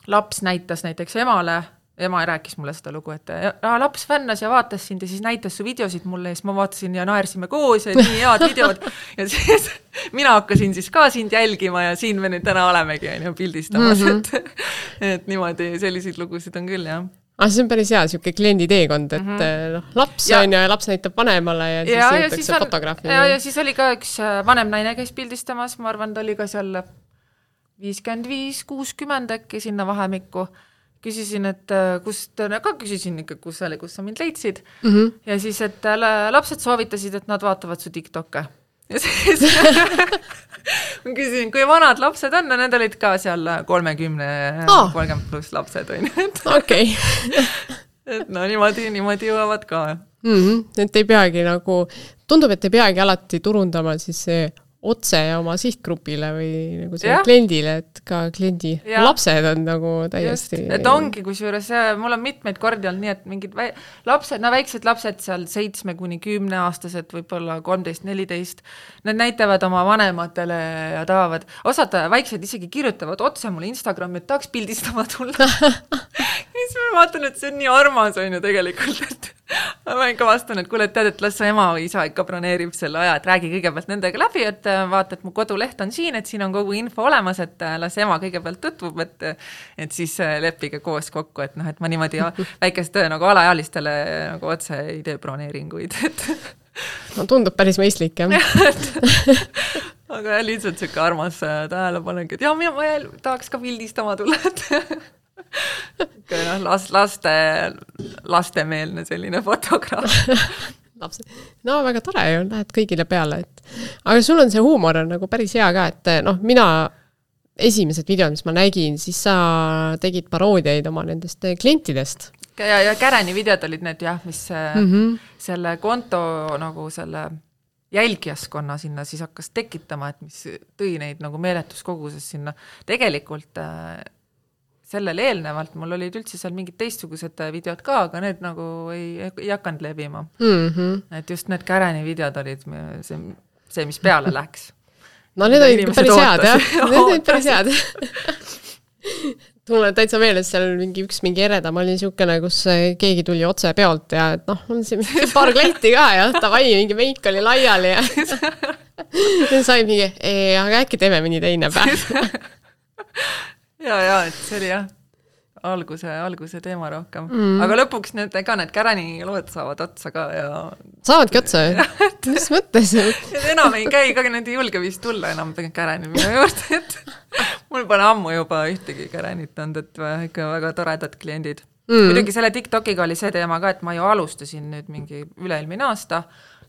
laps näitas näiteks emale, ema rääkis mulle seda lugu, et ja, laps fännas ja vaatas sind ja siis näitas su videosid mulle ja siis ma vaatasin ja naersime koos ja nii head videod ja siis mina hakkasin siis ka sind jälgima ja siin me nüüd täna olemegi ja pildistamas, mm-hmm. et, et niimoodi selliseid lugusid on küll, jah. Ah, see on päris hea, siuke kliendi teekond, et mm-hmm. noh, laps ja. on ja laps näitab vanemale ja, ja siis jõutakse fotograafi. Ja, ja siis oli ka üks vanem naine käis pildistamas, ma arvan, ta oli ka seal viiskümmend viis kuuskümmend äkki sinna vahemikku. Küsisin, et kust, ka küsisin ikka, kus oli, kus sa mind leidsid. Mm-hmm. Ja siis, et lapsed soovitasid, et nad vaatavad su TikTokke. Ja siis ma küsisin, kui vanad lapsed on, no need olid ka seal kolmekümne, oh. kolmkümmend pluss lapsed. Okei. Et no niimoodi, niimoodi jõuavad ka. Mm-hmm. Et ei peagi nagu, tundub, et ei peagi alati turundama siis see otse oma sihtgrupile või nagu see ja. kliendile, et ka kliendi ja. lapsed on nagu täiesti... Just, et ongi, kusjuures mul on mitmeid kordi olnud nii, et mingid vä... lapsed, no väiksed lapsed seal seitsme kuni kümne aastased, võib-olla kolmteist neliteist, nad näitavad oma vanematele ja tahavad, osad väiksed isegi kirjutavad otse mulle Instagrami, et tahaks pildistama tulla. Siis ma vaatan, et see on nii armas on ju tegelikult, et ma ikka vastan, et kuule, et tead, et las ema või isa ikka broneerib selle aja, et räägi kõigepealt nendega läbi, et vaata, et mu koduleht on siin, et siin on kogu info olemas, et las ema kõigepealt tutvub, et, et siis leppige koos kokku, et noh, et ma niimoodi väikest nagu alaealistele nagu otse ei tee broneeringuid. Et... No tundub päris mõistlik, jah. Aga jah, lihtsalt siuke armas tähelepanek, et jah, mina ma tahaks ka pildistama tulla, et... Okay, no, las, laste, lastemeelne selline fotograaf. No väga tore ju, lähed kõigile peale. Et... Aga sul on see huumor on nagu päris hea ka, et noh, mina esimesed videod, mis ma nägin, siis sa tegid paroodiaid oma nendest klientidest. Ja, ja Käreni videod olid need jah, mis mm-hmm. selle konto nagu selle jälgijaskonna sinna siis hakkas tekitama, et mis tõi neid nagu meeletus koguses sinna. Tegelikult sellel eelnevalt mul olid üldse seal mingid teistsugused videod ka, aga need nagu ei, ei hakanud levima. Mm-hmm. Et just need Käreni videod olid see, see mis peale läks. No need olid päris head, jah. Need olid päris head. Mul on täitsa meeles seal mingi üks mingi ereda, ma olin siukene, kus keegi tuli otse peolt ja et noh, on siin paar kleiti ka ja tavai, mingi meik oli laiali ja sai mingi, ei, aga äkki teeme mõni teine päev. Ja, ja, et see oli jah, alguse, alguse teema rohkem. Mm. Aga lõpuks need, ka need Käreni lood saavad otsa ka ja... Saavadki otsa? Mis mõttes? Enam ei käi, ka need ei julge vist tulla enam Käreni minu juurde, et mul pole ammu juba ühtegi Kärenit olnud, et ikka väga toredad kliendid. Mm. Muidugi selle TikTokiga oli see teema ka, et ma ju alustasin nüüd mingi üleilmine aasta,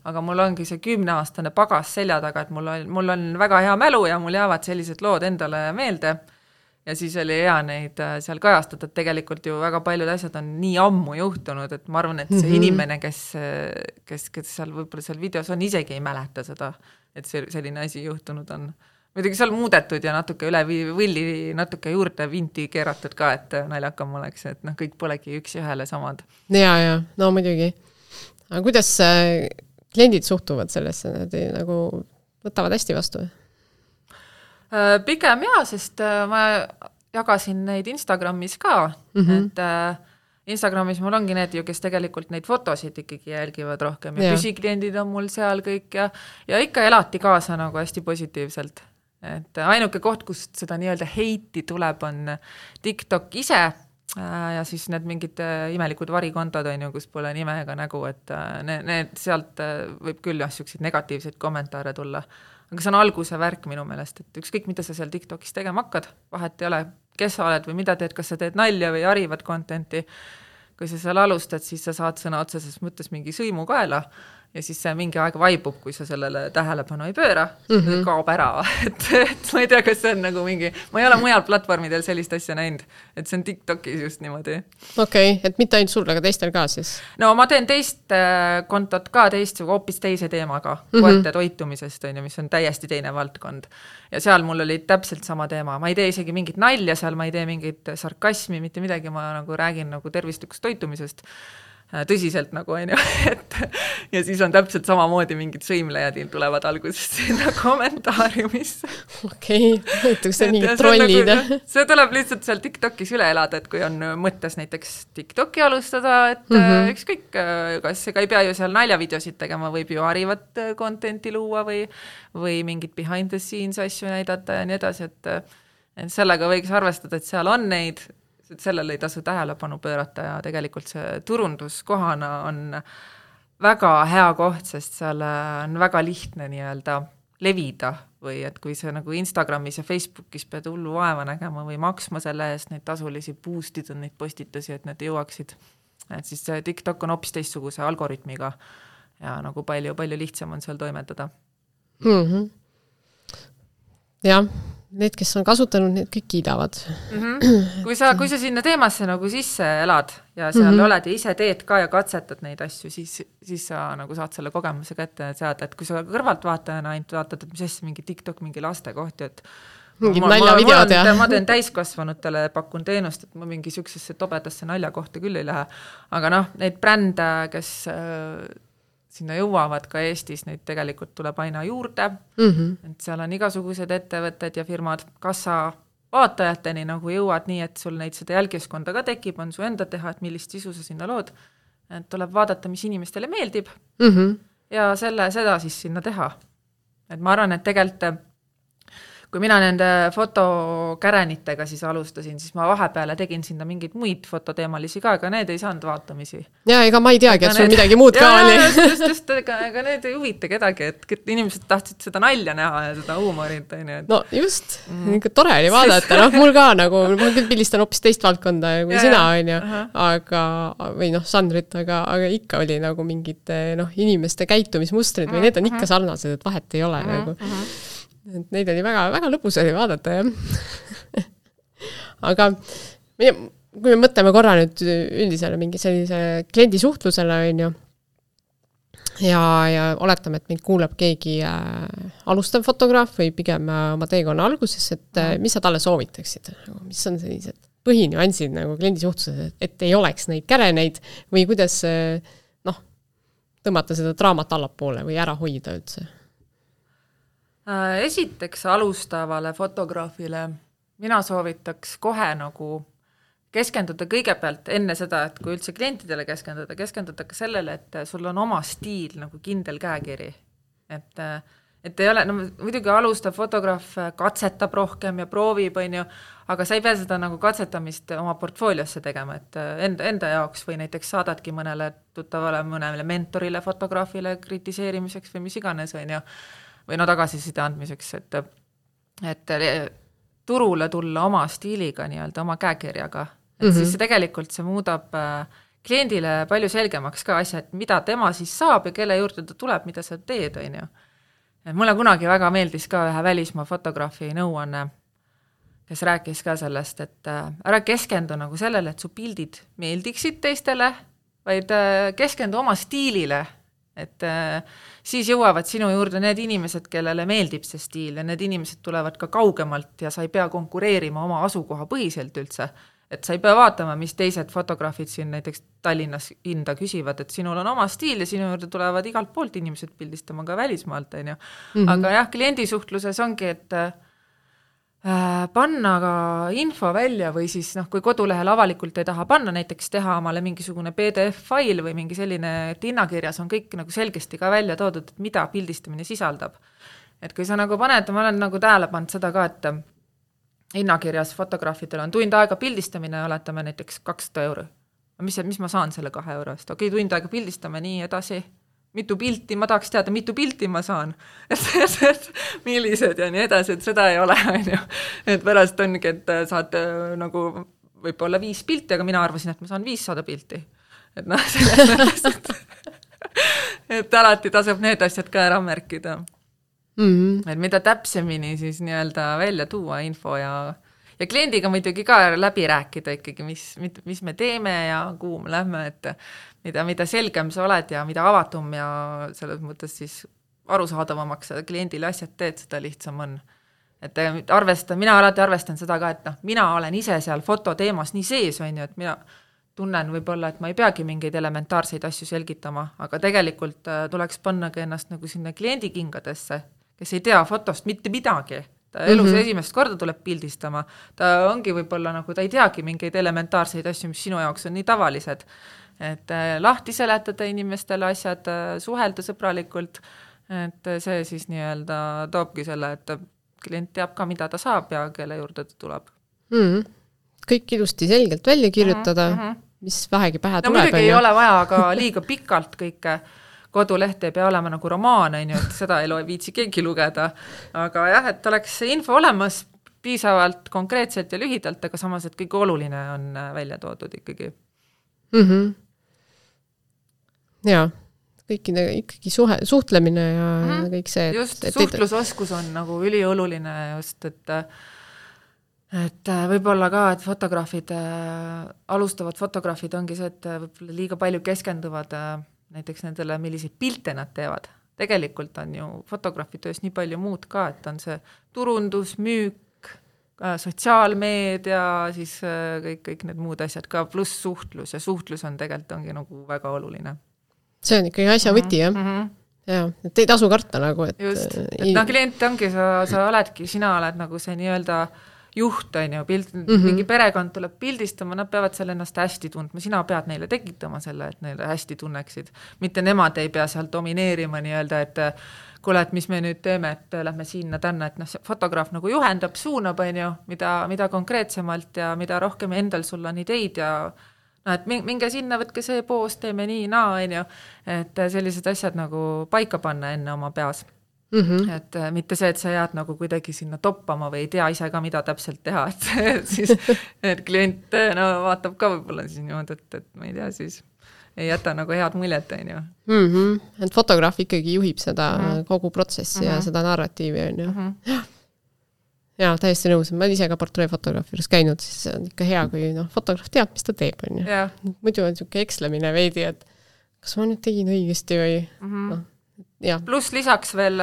aga mul ongi see kümneaastane pagas selja taga, et mul on, mul on väga hea mälu ja mul jäävad sellised lood endale meelde. ja siis oli hea neid seal kajastada, et tegelikult ju väga paljud asjad on nii ammu juhtunud, et ma arvan, et see mm -hmm. inimene, kes, kes, kes seal võib-olla seal videos on, isegi ei mäleta seda, et see selline asi juhtunud on. Muidugi seal muudetud ja natuke üle võlli, natuke juurde vinti keeratud ka, et naljakam oleks, et noh, kõik polegi üks ühele samad. Ja, ja, no muidugi. Aga kuidas kliendid suhtuvad sellesse, nad nagu võtavad hästi vastu? Pigem jaa, sest ma jagasin neid Instagramis ka, mm -hmm. et Instagramis mul ongi need ju, kes tegelikult neid fotosid ikkagi jälgivad rohkem ja, ja. püsikliendid on mul seal kõik ja, ja ikka elati kaasa nagu hästi positiivselt. Et ainuke koht, kust seda nii-öelda heiti tuleb, on TikTok ise ja siis need mingid imelikud varikontod on ju, kus pole nime ega nägu, et need, need sealt võib küll jah, selliseid negatiivseid kommentaare tulla. Aga see on alguse värk minu meelest, et ükskõik, mida sa seal TikTokis tegema hakkad, vahet ei ole, kes sa oled või mida teed, kas sa teed nalja või harivat contenti. Kui sa seal alustad, siis sa saad sõna otseses mõttes mingi sõimu kaela ja siis see mingi aeg vaibub, kui sa sellele tähelepanu ei pööra, mm -hmm. kaob ära. Et, et ma ei tea, kas see on nagu mingi, ma ei ole mujal platvormidel sellist asja näinud, et see on TikTokis just niimoodi. Okei, okay, et mitte ainult sul, aga teistel ka siis? No ma teen teist kontot ka teist, hoopis teise teemaga, mm -hmm. koerte toitumisest, on ju, mis on täiesti teine valdkond. Ja seal mul oli täpselt sama teema, ma ei tee isegi mingit nalja seal, ma ei tee mingit sarkasmi, mitte midagi, ma nagu räägin nagu tervislikust toitumisest, tõsiselt nagu on ju, et ja siis on täpselt samamoodi mingid sõimlejad tulevad alguses sinna kommentaariumisse. Okei, okay. et see mingid trollid. Nagu, see tuleb lihtsalt seal TikTokis üle elada, et kui on mõttes näiteks TikToki alustada, et mm -hmm. ükskõik, kas ega ei pea ju seal naljavideosid tegema, võib ju harivat contenti luua või, või mingid behind the scenes asju näidata ja nii edasi, et, et sellega võiks arvestada, et seal on neid, et sellele ei tasu tähelepanu pöörata ja tegelikult see turunduskohana on väga hea koht, sest seal on väga lihtne nii-öelda levida või et kui see nagu Instagramis ja Facebookis pead hullu vaeva nägema või maksma selle eest neid tasulisi boostida neid postitusi, et need jõuaksid, et siis see TikTok on hoopis teistsuguse algoritmiga ja nagu palju, palju lihtsam on seal toimetada. Mm-hmm. Jah. Need, kes on kasutanud, need kõik kiidavad. Mm-hmm. Kui sa, kui sa sinna teemasse nagu sisse elad ja seal mm-hmm. oled ja ise teed ka ja katsetad neid asju, siis, siis sa nagu saad selle kogemuse kätte seada, et kui sa kõrvalt vaatajana ainult vaatad, et mis asja mingi TikTok, mingi laste kohti, et mingid naljavideod ja ma teen täiskasvanutele, pakun teenust, et ma mingi sükksesse tobedasse nalja kohta küll ei lähe. Aga noh, neid brände, kes sinna jõuavad ka Eestis, neid tegelikult tuleb aina juurde, mm-hmm. et seal on igasugused ettevõtted ja firmad, kas sa vaatajateni nagu jõuad nii, et sul neid seda jälgiskonda ka tekib, on su enda teha, et millist sisu sa sinna lood, et tuleb vaadata, mis inimestele meeldib mm-hmm. ja selle, seda siis sinna teha. Et ma arvan, et tegelikult kui mina nende fotokäränitega siis alustasin, siis ma vahepeale tegin sinna mingeid muid fototeemalisi ka, aga need ei saanud vaatamisi. Ja ega ma ei teagi, et sul need... midagi muud ja, ka oli. Just, just, just, ega, ega need ei huvita kedagi, et inimesed tahtsid seda nalja näha ja seda huumorit. Et... No just, mm. ikka tore oli vaadata, noh, mul ka nagu, ma küll pilistan hoopis teist valdkonda kui ja, sina, on ju, aga, või noh, žanrit, aga, aga ikka oli nagu mingid noh, inimeste käitumismustrid või need on ikka sarnased, et vahet ei ole mm-hmm. nagu. Et neid oli väga, väga lõpus oli vaadata, jah. Aga kui me mõtleme korra nüüd üldisele mingi sellise kliendi suhtlusele, on ju, ja, ja oletame, et mind kuuleb keegi äh, alustav fotograaf või pigem äh, oma teekonna alguses, et äh, mis sa talle soovitaksid? Mis on sellised põhinüansid nagu kliendi suhtluses, et ei oleks neid käreneid või kuidas äh, noh, tõmmata seda draamat allapoole või ära hoida üldse? Esiteks alustavale fotograafile mina soovitaks kohe nagu keskenduda kõigepealt enne seda, et kui üldse klientidele keskenduda, keskenduda ka sellele, et sul on oma stiil nagu kindel käekiri. Et, et ei ole, no muidugi alustav fotograaf katsetab rohkem ja proovib, on ju, aga sa ei pea seda nagu katsetamist oma portfooliosse tegema, et enda, enda jaoks või näiteks saadadki mõnele tuttavale, mõnele mentorile, fotograafile kritiseerimiseks või mis iganes, on ju, või no tagasiside andmiseks, et, et turule tulla oma stiiliga, nii-öelda oma käekirjaga. Et mm-hmm. siis see tegelikult see muudab kliendile palju selgemaks ka asja, et mida tema siis saab ja kelle juurde ta tuleb, mida sa teed, on ju. Et mulle kunagi väga meeldis ka ühe välismaa fotograafi nõuanne kes rääkis ka sellest, et ära keskendu nagu sellele, et su pildid meeldiksid teistele, vaid keskendu oma stiilile, et siis jõuavad sinu juurde need inimesed, kellele meeldib see stiil ja need inimesed tulevad ka kaugemalt ja sa ei pea konkureerima oma asukoha põhiselt üldse, et sa ei pea vaatama, mis teised fotograafid siin näiteks Tallinnas hinda küsivad, et sinul on oma stiil ja sinu juurde tulevad igalt poolt inimesed pildistama ka välismaalt, on ju. Mm-hmm. Aga jah, kliendisuhtluses ongi, et panna ka info välja või siis noh, kui kodulehel avalikult ei taha panna, näiteks teha omale mingisugune P D F-fail või mingi selline, et hinnakirjas on kõik nagu selgesti ka välja toodud, et mida pildistamine sisaldab. Et kui sa nagu paned, ma olen nagu tähele pannud seda ka, et hinnakirjas fotograafidel on tund aega pildistamine, oletame näiteks kakssada euro. Mis, mis ma saan selle kahe euro eest? Okei, tund aega pildistame nii edasi. Mitu pilti, ma tahaks teada, mitu pilti ma saan, et, et, et millised ja nii edasi, et seda ei ole, on ju. Et pärast ongi, et saad nagu võib-olla viis pilti, aga mina arvasin, et ma saan viissada pilti. Et noh, selles et, et alati tasub need asjad ka ära märkida. Mm-hmm. Et mida täpsemini siis nii-öelda välja tuua info ja ja kliendiga muidugi ka läbi rääkida ikkagi, mis, mis me teeme ja kuhu me lähme, et mida, mida selgem sa oled ja mida avatum ja selles mõttes siis arusaadavamaks kliendile asjad teed, seda lihtsam on. Et arvestan, mina alati arvestan seda ka, et noh, mina olen ise seal fototeemas nii sees, on ju, et mina tunnen võib-olla, et ma ei peagi mingeid elementaarseid asju selgitama, aga tegelikult tuleks panna ka ennast nagu sinna kliendi kingadesse, kes ei tea fotost mitte midagi. Ta elus mm-hmm. esimest korda tuleb pildistama, ta ongi võib-olla nagu, ta ei teagi mingeid elementaarseid asju, mis sinu jaoks on nii tavalised. Et lahti seletada inimestele asjad, suhelda sõbralikult, et see siis nii-öelda toobki selle, et klient teab ka, mida ta saab ja kelle juurde ta tuleb. Mm-hmm. Kõik ilusti selgelt välja kirjutada, mm-hmm. mis vähegi pähe no, tuleb. No muidugi ei ole vaja aga liiga pikalt kõike. Koduleht ei pea olema nagu romaan, on ju, et seda ei loe viitsi keegi lugeda. Aga jah, et oleks info olemas piisavalt konkreetselt ja lühidalt, aga samas, et kõik oluline on välja toodud ikkagi. Mm-hmm. Ja, kõikide, ikkagi suhe, suhtlemine ja mm-hmm. kõik see. Et, just, et, suhtlusoskus on nagu ülioluline just, et et võib-olla ka, et fotograafid, alustavad fotograafid ongi see, et võib-olla liiga palju keskenduvad näiteks nendele, milliseid pilte nad teevad. Tegelikult on ju fotograafi töös nii palju muud ka, et on see turundus, müük, sotsiaalmeedia, siis kõik, kõik need muud asjad ka, pluss suhtlus ja suhtlus on tegelikult ongi nagu väga oluline. See on ikkagi asja võti, jah? Mm-hmm. Ja, et ei tasu karta nagu, et... Just, et noh, klient ongi, sa, sa oledki, sina oled nagu see nii-öelda juht, on ju, pild, mm-hmm. mingi perekond tuleb pildistama, nad peavad selle ennast hästi tundma, sina pead neile tekitama selle, et neile hästi tunneksid. Mitte nemad ei pea seal domineerima nii-öelda, et kuule, et mis me nüüd teeme, et lähme sinna tänna, et noh, fotograaf nagu juhendab, suunab, on ju, mida, mida konkreetsemalt ja mida rohkem endal sul on ideid ja no, et minge sinna, võtke see poos, teeme nii, naa, on ju, et sellised asjad nagu paika panna enne oma peas. Mm-hmm. Et mitte see, et sa jääd nagu kuidagi sinna toppama või ei tea ise ka, mida täpselt teha, et siis et klient no, vaatab ka võib-olla siis niimoodi, et, et ma ei tea, siis ei jäta nagu head muljet, on ju. Mm-hmm. Et fotograaf ikkagi juhib seda mm-hmm. kogu protsessi mm-hmm. ja seda narratiivi, on ju. Mm-hmm. Ja, täiesti nõus. Ma olen ise ka portreefotograafi juures käinud, siis on ikka hea, kui no, fotograaf teab, mis ta teeb, on ju. Yeah. Muidu on niisugune ekslemine veidi, et kas ma nüüd tegin õigesti või mm-hmm. no, ja. Plus lisaks veel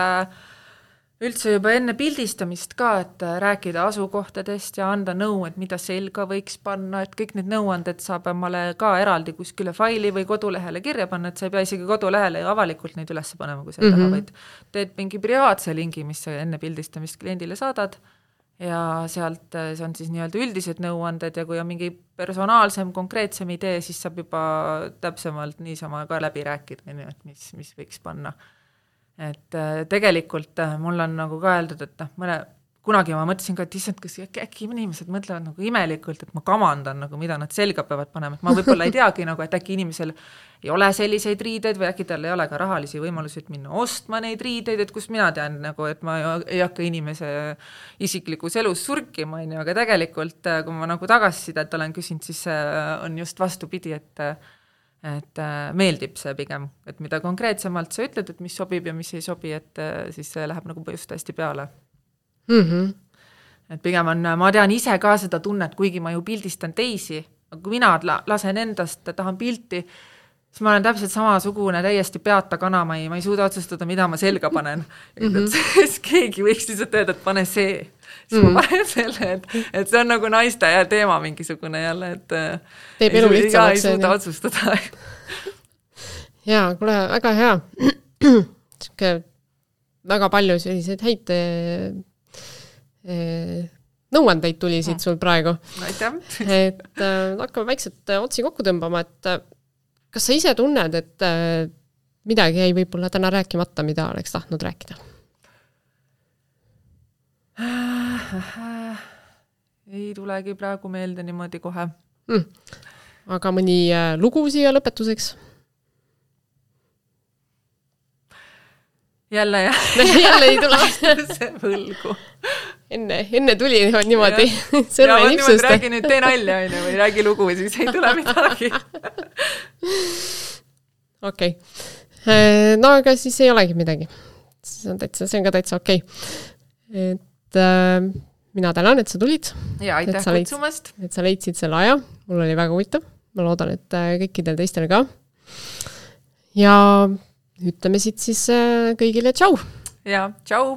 üldse juba enne pildistamist ka, et rääkida asukohtadest ja anda nõu, et mida selga võiks panna, et kõik need nõuanded saab omale ka eraldi kuskile faili või kodulehele kirja panna, et sa ei pea isegi kodulehele ja avalikult neid üles panema, kui sa mm-hmm. taha, vaid teed mingi privaatse lingi, mis sa enne pildistamist kliendile saadad ja sealt see on siis nii-öelda üldised nõuanded ja kui on mingi personaalsem, konkreetsem idee, siis saab juba täpsemalt niisama ka läbi rääkida, et mis, mis võiks panna. Et tegelikult mul on nagu ka öeldud, et noh, mõne, kunagi ma mõtlesin ka, et issand, kas äkki inimesed mõtlevad nagu imelikult, et ma kamandan, nagu, mida nad selga peavad panema, et ma võib-olla ei teagi, nagu, et äkki inimesel ei ole selliseid riideid või äkki tal ei ole ka rahalisi võimalusi, et minna ostma neid riideid, et kus mina tean, nagu, et ma ei hakka inimese isiklikus elus surkima, aga tegelikult, kui ma nagu tagasisidet olen küsinud, siis on just vastupidi, et et meeldib see pigem, et mida konkreetsemalt sa ütled, et mis sobib ja mis ei sobi, et siis see läheb nagu just hästi peale. Mm-hmm. et pigem on, ma tean ise ka seda tunnet, kuigi ma ju pildistan teisi, aga kui mina lasen endast, tahan pilti, siis ma olen täpselt samasugune, täiesti peata kana, ma ei, ma ei suuda otsustada, mida ma selga panen. Mm-hmm. siis keegi võiks lihtsalt öelda, et pane see. Siis mm-hmm. ma panen selle, et, et see on nagu naiste ja teema mingisugune jälle, et teeb elu lihtsamaks. Ei suuda otsustada. Jaa, kuule, väga hea. Siuke väga palju selliseid häid e, nõuandeid tuli siit sul praegu. Aitäh. Et äh, hakkame väikselt otsi kokku tõmbama, et kas sa ise tunned, et äh, midagi jäi võib-olla täna rääkimata, mida oleks tahtnud rääkida? Ei tulegi praegu meelde niimoodi kohe. Mm. Aga mõni äh, lugu siia lõpetuseks? Jälle, jah. Jälle ei tule. See võlgu. Enne, enne tuli niimoodi. Ja, ja ma niimoodi räägi nüüd tee nalja aine, või räägi lugu, siis ei tule midagi. Okei. Okay. No aga siis ei olegi midagi. See on, täitsa, see on ka täitsa okei. Okay. Et äh, mina tänan, et sa tulid. Ja aitäh kutsumast. Et sa leidsid selle aja. Mul oli väga huvitav. Ma loodan, et kõikidel teistel ka. Ja ütleme siit siis kõigile tšau. Ja, tšau.